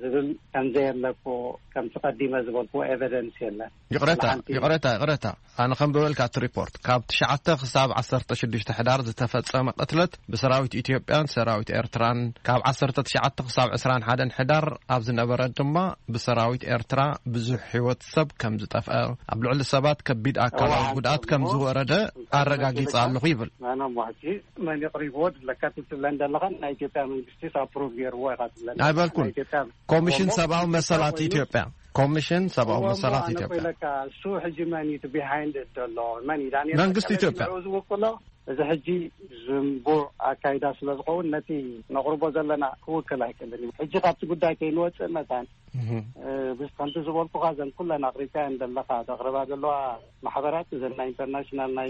ዝብል ከም ዘየለ እኮ፣ ከምቲ ቀዲመ ዝበልኩዎ ኤቪደንስ የለን። ይቕረታ፣ ሓንቲ ይቕረታ፣ ይቕረታ። ኣነ ከም በበልካ እቲ ሪፖርት፣ ካብ ትሽዓተ ክሳብ ዓሰርተ ሽዱሽተ ሕዳር ዝተፈጸመ ቅትለት ብሰራዊት ኢትዮጵያን ሰራዊት ኤርትራን፣ ካብ ዓሰርተ ትሽዓተ ክሳብ ዕስራን ሓደን ሕዳር ኣብ ዝነበረ ድማ ብሰራዊት ኤርትራ ብዙሕ ህይወት ሰብ ከም ዝጠፍአ፣ ኣብ ልዕሊ ሰባት ከቢድ ኣካላዊ እዋ፣ ጉድኣት ከም እሞ ዝወረደ ኣረጋጊጸ ኣለኹ ይብል። ኣነ እሞ ሕጂ መን የቕሪብዎ ድለካ ትብለን ዘለኻ፣ ናይ ኢትዮጵያ መንግስቲ ኣፕሩቭ ገይርዎ ኢኻ ትብለን። ኣይበልኩን። ናይ ኢትዮጵያ ኮሚሽን እሞ ሰብኣዊ መሰላት ኮይኑ ኢትዮጵያ፣ ኮሚሽን ሰብኣዊ እሞ መሰላት እሞ ኣነ ኢትዮጵያ። ኮይለካ፣ እሱ ሕጂ መን እዩ እቲ ቢሃይንድ ዘሎ? መን እዩ? ዳንኤል መንግስቲ በቀለ ኢትዮጵያ። ንዕኡ ዝውክሎ? እዚ ሕጂ ዝንቡዕ ኣካይዳ ስለ ዝኸውን፣ ነቲ ነቕርቦ ዘለና ክውክል ኣይክእልን እዩ። ሕጂ ካብቲ ጉዳይ ከይንወፅእ መታን፣ እህ። እ፣ ምስ ከምቲ ዝበልኩኻ፣ እዘን ኩለን ኣቕሪብካየን ዘለኻ፣ ዘቕርባ ዘለዋ ማሕበራት፣ እዘን ናይ ኢንተርናሽናል ናይ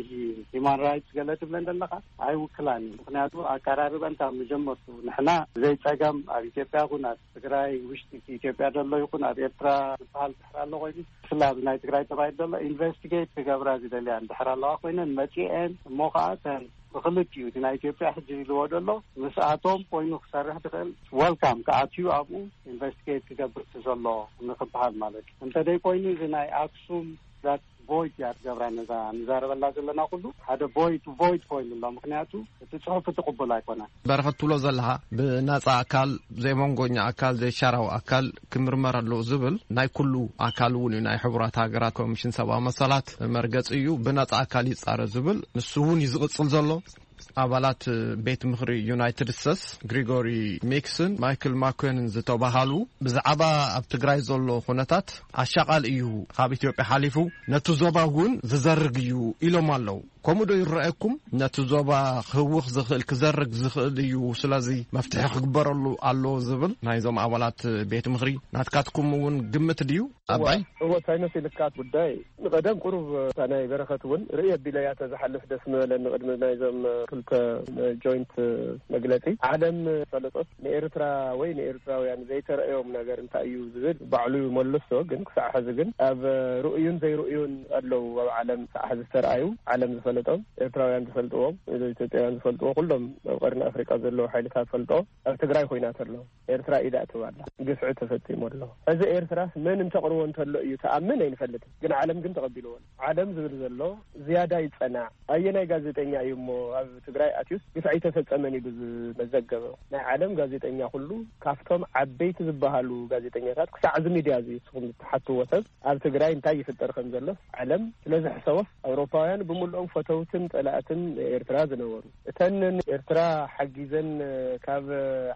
ሂማን ራይትስ ገለ ትብለን ዘለኻ፣ ኣይውክላን እዩ። ምኽንያቱ ኣቀራርበን ካብ መጀመርቱ፣ ንሕና ዘይፀገም ኣብ ኢትዮጵያ ይኹን ኣብ ትግራይ፣ ውሽጢ ኢትዮጵያ ዘሎ ይኹን ኣብ ኤርትራ ዝበሃል ድሕር ኣሎ ኮይኑ፣ ብፍላይ ኣብዚ ናይ ትግራይ ተባሂሉ ዘሎ ኢንቨስቲጌት ክገብራ ዝደልያ እንድሕር ኣለዋ ኮይነን መፂኤን፣ እሞ ከዓ እተን ብክልቲኡ እቲ ናይ ኢትዮጵያ ሕጂ ኢልዎ ዘሎ ምስኣቶም ኮይኑ ክሰርሕ ዝኽእል፣ ወልካም ክኣትዩ ኣብኡ ኢንቨስቲጌት ክገብር እቲ ዘሎ ንክበሃል ማለት እዩ። እንተደይ ኮይኑ እዚ ናይ ኣክሱም ዛት ቮይድ እያ ትገብራ ነዛ ንዛረበላ ዘለና ኩሉ ሓደ ቮይድ ቮይድ ኮይኑ ኣሎ። ምክንያቱ እቲ ጽሑፍ እቲ ቅቡል ኣይኮነን። በረኸት ትብሎ ዘለኻ ብናጻ ኣካል፣ ዘይመንጎኛ ኣካል፣ ዘይሻራዊ ኣካል ክምርመር ኣለዎ ዝብል ናይ ኩሉ ኣካል እውን እዩ። ናይ ሕቡራት ሃገራት ኮሚሽን ሰብኣዊ መሰላት መርገጺ እዩ። ብናጻ ኣካል ይጻረ ዝብል ንሱ እውን እዩ ዝቕጽል ዘሎ። ኣባላት ቤት ምኽሪ ዩናይትድ ስቴትስ ግሪጎሪ ሚክስን ማይክል ማኮንን ዝተባሃሉ ብዛዕባ ኣብ ትግራይ ዘሎ ኩነታት ኣሻቓል እዩ፣ ካብ ኢትዮጵያ ሓሊፉ ነቲ ዞባ እውን ዝዘርግ እዩ ኢሎም ኣለዉ። ከምኡ ዶ ይረኣየኩም? ነቲ ዞባ ክህውኽ ዝኽእል፣ ክዘርግ ዝኽእል እዩ፣ ስለዚ መፍትሒ ክግበረሉ ኣለዎ ዝብል ናይዞም ኣባላት ቤት ምኽሪ ናትካትኩም እውን ግምት ድዩ? ኣባይ? እወ፣ እወ፣ እንታይ መሲልካ ጉዳይ ንቐደም ቁሩብ እታ ናይ በረኸት እውን ርእየ ኣቢለያ ተዝሓልፍ ደስ ምበለኒ። ቅድሚ ናይዞም ክልተ ጆይንት መግለጺ ዓለም ፈለጦት ንኤርትራ ወይ ንኤርትራውያን ዘይተረእዮም ነገር እንታይ እዩ ዝብል ባዕሉ ይመልሶ። ግን ክሳዕ ሕዚ ግን ኣብ ርእዩን ዘይርእዩን ኣለዉ ኣብ ዓለም ክሳዕ ሕዚ ዝተረኣዩ ዓለም ዝፈለጦም ኤርትራውያን ዝፈልጥዎም ኢትዮጵያውያን ዝፈልጥዎ ኩሎም ኣብ ቀርኒ ኣፍሪቃ ዘለዉ ሓይልታት ፈልጦ ኣብ ትግራይ ኮይና ተሎ ኤርትራ ኢዳ ኣእትዋ ኣላ። ግፍዒ ተፈጺሙ ኣሎ። እዚ ኤርትራስ መን እንተቕርቦ እንተሎ እዩ ተኣምን ኣይንፈልጥን። ግን ዓለም ግን ተቐቢልዎ ኣሎ። ዓለም ዝብል ዘሎ ዝያዳ ይጸናዕ። ኣየናይ ጋዜጠኛ እዩ እሞ ኣብ ትግራይ ኣትዩስ ግፍዒ ተፈጸመን ኢሉ ዝመዘገበ? ናይ ዓለም ጋዜጠኛ ኩሉ ካብቶም ዓበይቲ ዝበሃሉ ጋዜጠኛታት ክሳዕ እዚ ሚድያ እዚ ንስኹም ዝትሓትዎ ሰብ ኣብ ትግራይ እንታይ ይፍጠር ከም ዘሎስ ዓለም ስለ ዝሕሰቦስ ኣውሮፓውያን ብምልኦም ፈተውትን ጸላእትን ኤርትራ ዝነበሩ እተን ንኤርትራ ሓጊዘን ካብ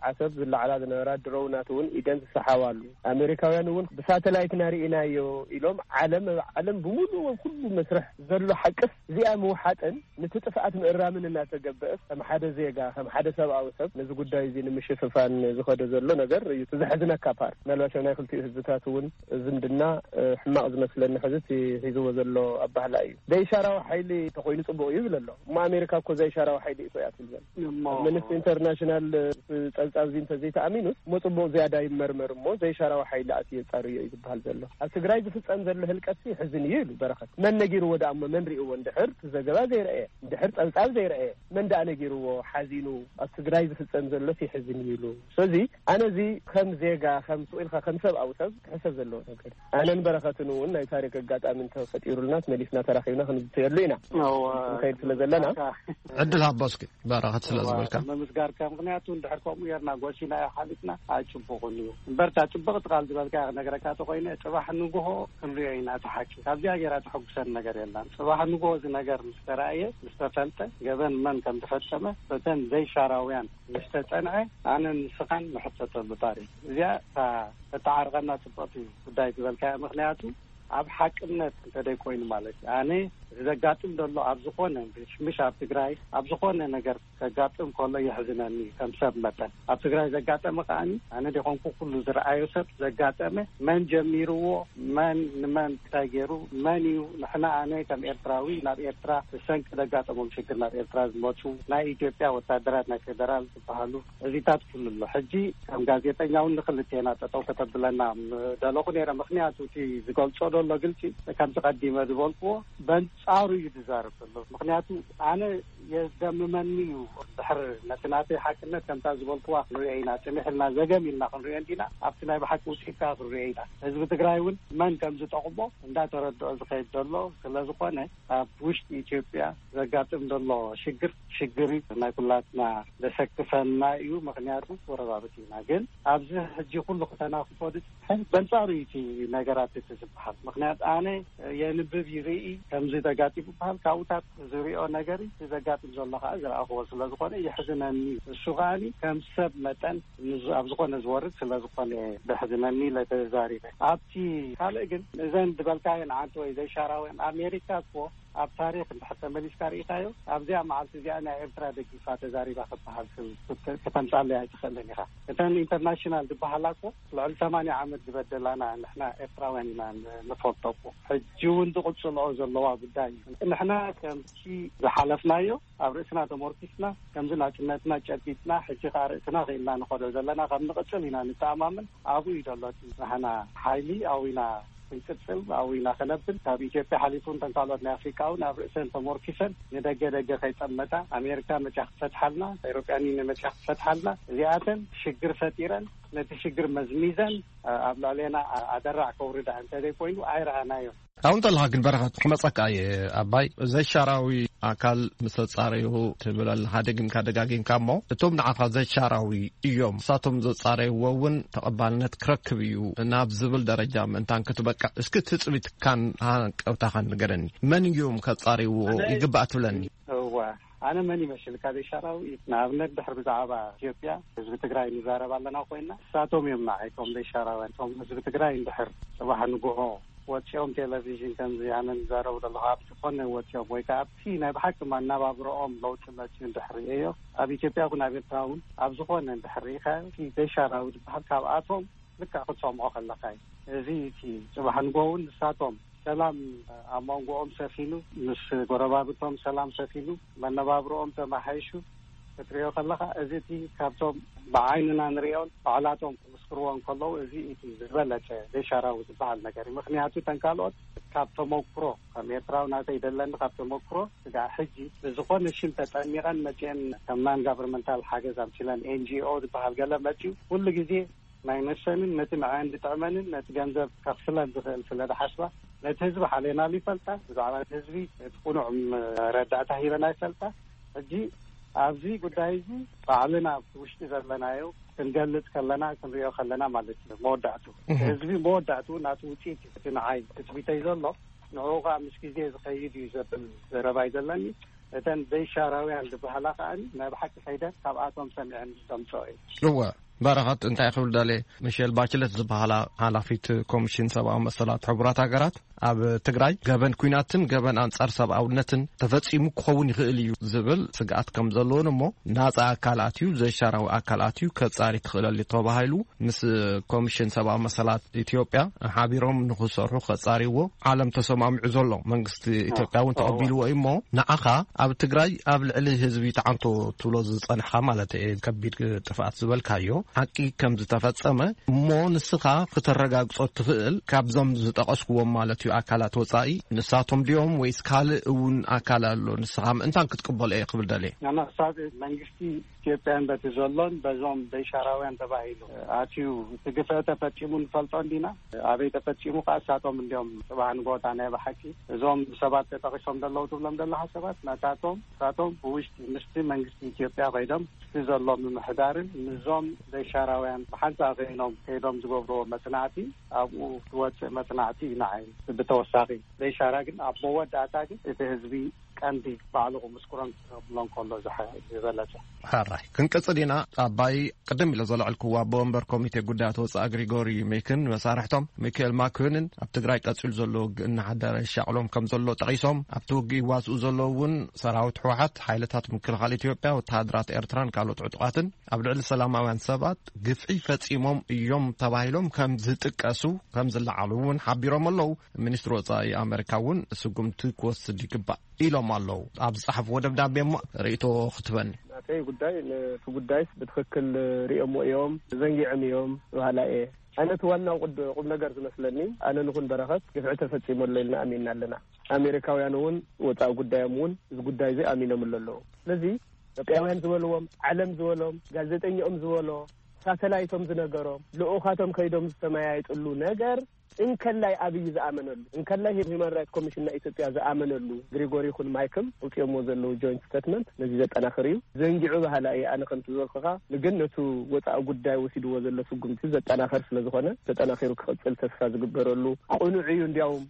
ዓሰብ ዝለዓላ ዝነበራ ድሮውናት እውን ኢደን ዝሰሓባሉ፣ ኣሜሪካውያን እውን ብሳተላይትና ርኢናዮ ኢሎም ዓለም፣ ኣብ ዓለም ብምሉእ ኣብ ኩሉ መስርሕ ዘሎ ሓቅስ እዚኣ ምውሓጥን ነቲ ጥፍኣት ምእራምን እናተገበአስ ከም ሓደ ዜጋ፣ ከም ሓደ ሰብኣዊ ሰብ ነዚ ጉዳይ እዚ ንምሽፍፋን ዝኸደ ዘሎ ነገር እዩ እቲ ዘሕዝነካ ፓርት። ምናልባት ኣብ ናይ ክልቲኡ ህዝብታት እውን ዝምድና፣ እ፣ ሕማቕ ዝመስለኒ ሕዚ እቲ ሒዝዎ ዘሎ ኣባህላ እዩ። ዘይሻራዊ ሓይሊ እንተኾይኑ ጽቡቕ እዩ ይብል ኣሎ። እሞ ኣሜሪካ እኮ ዘይሻራዊ ሓይሊ እኮ እያ ትብል ዘላ። እሞ ኣብ ኣምነስቲ ኢንተርናሽናል፣ እ፣ ጸብጻብ እዚ እንተዘይተኣሚኑስ እሞ ጽቡቕ ዝያዳ ይመርመር እሞ ዘይሻራዊ ሓይሊ ኣትዩ የጻርዮ እዩ ዝበሃል ዘሎ። ኣብ ትግራይ ዝፍጸም ዘሎ ህልቀትሲ ይሕዝን እዩ ኢሉ በረኸት። መን ነጊርዎ ደኣ እሞ መን ሪእዎ? እንድሕር እቲ ዘገባ ዘይረኣየ፣ እንድሕር ጸብጻብ ዘይረኣየ መን ደኣ ነጊርዎ? ሓዚኑ ኣብ ትግራይ ዝፍጸም ዘሎስ ይሕዝን እዩ ኢሉ። ስለዚ ኣነ እዚ ከም ዜጋ፣ ከም ስቕ ኢልካ ከም ሰብኣዊ ሰብ ክሕሰብ ዘለዎ ነገር። ኣነን በረኸትን እውን ናይ ታሪክ ኣጋጣሚ እንተፈጢሩልና መሊስና ተራኺብና ክንዝተየሉ ኢና። እወ። ንኸይድ ስለ ዘለና። ዕድል ሃቦ እስኪ በረኸት ስለ ዝበልካ። ምምስጋርካ፣ ምኽንያቱ እንድሕር ከምኡ ጌርና ጎሲናዮ ሓሊፍና ኣይጽቡቕን እዩ። እምበርታ ጽብቕቲ ቃል ዝበልካያ ክነግረካ ተኾይነ፣ ጽባሕ ንግሆ ክንሪኦ ኢና እቲ ሓቂ። ካብዚኣ ጌራ ተሐጉሰን ነገር የላን። ጽባሕ ንግሆ እዚ ነገር ምስ ተራእየ፣ ምስ ተፈልጠ፣ ገበን መን ከም ዝፈጸመ፣ በተን ዘይሻራውያን ምስ ተጸንዐ፣ ኣነን ንስኻን ንሕተተሉ ታሪኽ። እዚኣ እታ ተተዓርቐና ጽብቕቲ ጉዳይ ዝበልካያ፣ ምኽንያቱ ኣብ ሓቅነት እንተደይ ኮይኑ ማለት እዩ። ኣነ እዚ ዘጋጥም ዘሎ ኣብ ዝኾነ፣ ምሽ ኣብ ትግራይ ኣብ ዝኾነ ነገር ዘጋጥም ከሎ የሕዝነኒ እዩ። ከም ሰብ መጠን ኣብ ትግራይ ዘጋጠመ ከዓኒ፣ ኣነ ደኾንኩ ኩሉ ዝረኣዮ ሰብ ዘጋጠመ፣ መን ጀሚርዎ፣ መን ንመን እንታይ ገይሩ፣ መን እዩ፣ ንሕና፣ ኣነ ከም ኤርትራዊ ናብ ኤርትራ ብሰንኪ ዘጋጠሞም ሽግር ናብ ኤርትራ ዝመፁ ናይ ኢትዮጵያ ወታደራት፣ ናይ ፌደራል ዝበሃሉ፣ እዚታት ኩሉ ኣሎ። ሕጂ ከም ጋዜጠኛ እውን ንክልቴና ጠጠው ከተብለና ምደለኹ ነይረ። ምክንያቱ እቲ ዝገልጾ ዘሎ ግልጺ፣ ከምቲ ቀዲመ ዝበልክዎ፣ በንጻሩ እዩ ዝዛረብ ዘሎ። ምክንያቱ ኣነ የስደምመኒ እዩ። ድሕር ነቲ ናተይ ሓቅነት ከምታ ዝበልክዋ ክንሪኦ ኢና፣ ጽንሕ ኢልና ዘገም ኢልና ክንሪኦ እንዲና፣ ኣብቲ ናይ ብሓቂ ውጽኢት ከዓ ክንሪኦ ኢና። ህዝቢ ትግራይ እውን መን ከም ዝጠቕሞ እንዳተረድኦ ዝኸይድ ዘሎ ስለ ዝኾነ፣ ኣብ ውሽጢ ኢትዮጵያ ዘጋጥም ዘሎ ሽግር፣ ሽግር እዩ። ናይ ኩላትና ዘሰክፈና እዩ። ምክንያቱ ጎረባብቲ ኢና። ግን ኣብዚ ሕጂ ኩሉ ክተናኽፎ ዝጽሕፍ በንጻሩ እዩ እቲ ነገራት እቲ ዝበሃል። ምክንያቱ ኣነ የንብብ ይርኢ፣ ከምዚ ተጋጢሙ ይበሃል። ካብኡታት ዝሪኦ ነገር እዩ፣ እቲ ዘጋጥም ዘሎ ከዓ ዝረኣኽዎ ስለ ዝኾነ የሕዝነኒ። እሱ ከዓኒ ከም ሰብ መጠን ንዝ-፣ ኣብ ዝኾነ ዝወርድ ስለ ዝኾነ የሕዝነኒ ኢለ ተዛሪበ። ኣብቲ ካልእ ግን እዘን ዝበልካየን ዓንተ ወይ ዘይሻራውያን፣ ኣሜሪካ እኮ ኣብ ታሪክ እንድሕር ተመሊስካ ርኢኻዮ፣ ኣብዚኣ መዓልቲ እዚኣ ናይ ኤርትራ ደጊፋ ተዛሪባ ክበሃል ክተምጻለይ ኣይትኽእልን ኢኻ። እተን ኢንተርናሽናል ዝበሃላ እኮ ልዕሊ ሰማንያ ዓመት ዝበደላና ንሕና ኤርትራውያን ኢና ን-፣ ንፈልጦ እኮ። ሕጂ እውን ዝቕጽልኦ ዘለዋ ጉዳይ እዩ። ንሕና ከምቲ ዝሓለፍናዮ ኣብ ርእስና ተሞርኪስና፣ ከምዚ ናጽነትና ጨቢጥና፣ ሕጂ ከኣ ርእስና ክኢልና ንኸዶ ዘለና ከም ንቕጽል ኢና ንተኣማመን። ኣብኡ እዩ ዘሎ እቲ ናህና ሓይሊ፣ ኣብኡ ኢና ክንቅጽል፣ ኣብኡ ኢና ከነብል። ካብ ኢትዮጵያ ሓሊፉ እንተን ካልኦት ናይ ኣፍሪቃ እውን ኣብ ርእሰን ተሞርኪሰን ንደገ ደገ ከይጠመታ፣ ኣሜሪካ መጽያ ክትፈትሓልና፣ ኤሮጳያን ዩኒየን መጽያ ክትፈትሓልና፣ እዚኣተን ሽግር ፈጢረን፣ ነቲ ሽግር መዝሚዘን ኣብ ልዕሌና ኣደራዕ ከውርዳ እንተዘይኮይኑ ኣይረኣናዮን። ካብኡ እንተለኻ ግን በረኸት ክመጸካ እየ። ኣባይ ዘይሻራዊ ኣካል ምስ ተጻረዩ ትብል ኣለኻ፣ ደጊምካ ደጋጊምካ እሞ፣ እቶም ንዓኻ ዘይሻራዊ እዮም፣ ንሳቶም ዘጻረይዎ እውን ተቐባልነት ክረክብ እዩ። ናብ ዝብል ደረጃ ምእንታን ክትበቅዕ፣ እስኪ ትጽቢትካን ሃንቀውታኻን ንገረኒ። መን እዮም ከጻርይዎ ኣነ ይግባእ ትብለኒ? እዋ፣ ኣነ መን ይመስልካ ዘይሻራዊ? ንኣብነት ድሕር ብዛዕባ ኢትዮጵያ ህዝቢ ትግራይ ንዛረብ ኣለና ኮይና፣ ንሳቶም እዮም ንዓይ እቶም ዘይሻራውያን። እቶም ህዝቢ ትግራይ እንድሕር ጽባሕ ንግሆ ወጺኦም ቴሌቪዥን ከምዚ ኣነ ንዛረቡ ዘለኹ ኣብ ዝኾነ ወጺኦም ወይ ከዓ ኣብቲ ናይ ብሓቂ መነባብሮኦም ለውጢ መጺኡ እንድሕር ርእየዮ፣ ኣብ ኢትዮጵያ እውን ኣብ ኤርትራ እውን ኣብ ዝኾነ እንድሕር ርኢኻዮ፣ እቲ ዘይሻራዊ ዝበሃል ካብኣቶም ልክዕ ክትሰምዖ ከለኻ እዩ። እዚ እቲ ጽባሕ ንግሆ እውን ንሳቶም ሰላም ኣብ መንጎኦም ሰፊኑ፣ ምስ ጎረባብቶም ሰላም ሰፊኑ፣ መነባብሮኦም ተመሓይሹ ክትሪኦ ከለኻ፣ እዚ እቲ ካብቶም ብዓይንና ንሪኦን ባዕላቶም ክምስክርዎ እንከለዉ፣ እዚ እቲ ዝበለጸ ዘይሻራዊ ዝበሃል ነገር እዩ። ምክንያቱ እተን ካልኦት ካብ ተመክሮ፣ ከም ኤርትራዊ ናተይ ደለኒ ካብ ተመክሮ፣ ስጋዕ ሕጂ ብዝኾነ ሽም ተጠሚቐን መጺአን ከም ናን ጋቨርመንታል ሓገዝ ኣምሲለን፣ ኤን ጂ ኦ ዝበሃል ገለ መጺኡ፣ ኩሉ ግዜ ናይ ነሰንን ነቲ ንዕአን ዝጥዕመንን ነቲ ገንዘብ ከኽፍለን ዝኽእል ስለ ዝሓስባ፣ ነቲ ህዝቢ ሓሌናሉ ይፈልጣ፣ ብዛዕባ እቲ ህዝቢ እቲ ቅኑዕ መረዳእታ ሂበን ኣይፈልጣ። ሕጂ ኣብዚ ጉዳይ እዚ ባዕልና ኣብቲ ውሽጢ ዘለናዮ ክንገልጽ ከለና፣ ክንሪኦ ከለና ማለት እዩ። መወዳእቱ እቲ እህ። ህዝቢ መወዳእቱ ናቱ ውጽኢት እዩ። እቲ ንዓይ ትጽቢተይ ዘሎ ንዕኡ ከዓ ምስ ግዜ ዝኸይድ እዩ ዘብል ዘረባ እዩ ዘለኒ። እተን ዘይሻራውያን ዝበሃላ ከዓ ናይ ብሓቂ ከይደን ካብኣቶም ሰሚዐን ዝተምፅኦ እዩ። እወ፣ በረኸት እንታይ ክብል ደልየ፣ ሚሼል ባችለት ዝበሃላ ሓላፊት ኮሚሽን ሰብኣዊ መሰላት ሕቡራት ሃገራት፣ ኣብ ትግራይ ገበን ኲናትን ገበን ኣንጻር ሰብኣውነትን ተፈጺሙ ክኸውን ይኽእል እዩ ዝብል ስግኣት ከም ዘለዎን፣ እሞ ናጻ ኣካል ኣትዩ፣ ዘይሻራዊ ኣካል ኣትዩ ከጻሪ ክኽእለሉ ተባሂሉ ምስ ኮሚሽን ሰብኣዊ መሰላት ኢትዮጵያ ሓቢሮም ንኽሰርሑ ከጻሪዎ ዓለም ተሰማሚዑ ዘሎ። መንግስቲ ኢትዮጵያ እውን ተቐቢልዎ እዩ። እሞ ንዓኻ ኣብ ትግራይ ኣብ ልዕሊ ህዝቢ ተዓንቶ ትብሎ ዝጸንሕኻ ማለት እየ፣ ከቢድ ጥፍኣት ዝበልካዮ ሓቂ ከም ዝተፈጸመ እሞ ንስኻ ክተረጋግጾ ትኽእል ካብዞም ዝጠቐስኩዎም ማለት እዩ ኣካላት ወጻኢ ንሳቶም ድዮም ወይስ ካልእ እውን ኣካል ኣሎ? ንስኻ ምእንታን ክትቅበሎ እየ ክብል ደልየ። ንመቕሳድ መንግስቲ ኢትዮጵያን በቲ ዘሎን በዞም ዘይሻራውያን ተባሂሉ ኣትዩ እቲ ግፍዒ ተፈጺሙ ንፈልጦ እንዲና። ኣበይ ተፈጺሙ ከዓ እሳቶም እንዲዮም ጽባሕ ንጎታ ናይ ብሓቂ እዞም ሰባት ተጠቒሶም ዘለዉ ትብሎም ዘለኻ ሰባት ናታቶም እሳቶም ብውሽጢ ምስቲ መንግስቲ ኢትዮጵያ ከይዶም ምስቲ ዘሎ ምምሕዳርን ምስዞም ዘይሻራውያን ብሓንሳእ ኮይኖም ከይዶም ዝገብርዎ መጽናዕቲ ኣብኡ ዝወፅእ መጽናዕቲ እዩ ንዓይ ብተወሳኺ ዘይሻራ ግን ኣብ መወዳእታ ግን እቲ ህዝቢ ቀንዲ ባዕሉ ክምስክሮን ክብሎ እንከሎ ዝሓ-፣ ዝበለጸ። ሕራይ ክንቅጽል ኢና። ኣባይ ቅድም ኢለ ዘለዕልክዎ ኣቦ ወንበር ኮሚቴ ጉዳያት ወጻኢ ግሪጎሪ ሜክን መሳርሕቶም ሚካኤል ማክንን ኣብ ትግራይ ቀጺሉ ዘሎ ውግእ እናሓደረ ይሻቕሎም ከም ዘሎ ጠቒሶም፣ ኣብቲ ውግእ ይዋስኡ ዘለዉ እውን ሰራዊት ህወሓት፣ ሓይልታት ምክልኻል ኢትዮጵያ፣ ወተሃደራት ኤርትራን ካልኦት ዕጡቓትን ኣብ ልዕሊ ሰላማውያን ሰባት ግፍዒ ፈጺሞም እዮም ተባሂሎም ከም ዝጥቀሱ ከም ዝለዓሉ እውን ሓቢሮም ኣለዉ። ሚኒስትሪ ወጻኢ ኣመሪካ እውን ስጉምቲ ክወስድ ይግባእ ኢሎም ኣለዉ። ኣብ ዝጸሓፍዎ ደብዳቤ እሞ ርእይቶ ክትበኒ። ናተይ ጉዳይ፣ ነቲ ጉዳይስ ብትኽክል ርእዮምዎ እዮም፣ ዘንጊዖም እዮም በሃላይ እየ። ኣነ እቲ ዋናው ቁድ-፣ ቁም ነገር ዝመስለኒ፣ ኣነ ንኹን በረኸት ግፍዒ ተፈጺሙ ኣሎ ኢልና ኣሚንና ኣለና። ኣሜሪካውያን እውን ወጻኢ ጉዳዮም እውን እዚ ጉዳይ እዚ ኣሚኖምሉ ኣለዉ። ስለዚ ኢትዮጵያውያን ዝበልዎም፣ ዓለም ዝበሎም፣ ጋዜጠኛኦም ዝበሎ፣ ሳተላይቶም ዝነገሮም፣ ልኡኻቶም ከይዶም ዝተመያየጥሉ ነገር እንከላይ ኣብይ ዝኣመነሉ፣ እንከላይ ሂማን ራይት ኮሚሽን ናይ ኢትዮጵያ ዝኣመነሉ ግሪጎሪ ይኹን ማይክል ኣውፅኦምዎ ዘለዉ ጆይንት ስቴትመንት ነዚ ዘጠናኽር እዩ። ዘንጊዑ በሃላ እየ ኣነ ከምቲ ዝበልኩኻ፣ ግን ነቱ ወፃኢ ጉዳይ ወሲድዎ ዘሎ ስጉምቲ ዘጠናኸር ስለ ዝኾነ ተጠናኺሩ ክቕፅል ተስፋ ዝግበረሉ ቅኑዕ እዩ። እንዲያውም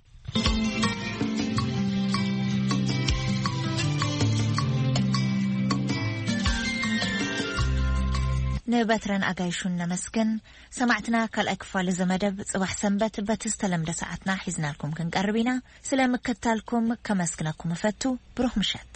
ንበትረን ኣጋይሹን ነመስግን። ሰማዕትና፣ ካልኣይ ክፋል እዚ መደብ ጽባሕ ሰንበት በቲ ዝተለምደ ሰዓትና ሒዝናልኩም ክንቀርብ ኢና። ስለ ምክትታልኩም ከመስግነኩም እፈቱ። ብሩኽ ምሸት።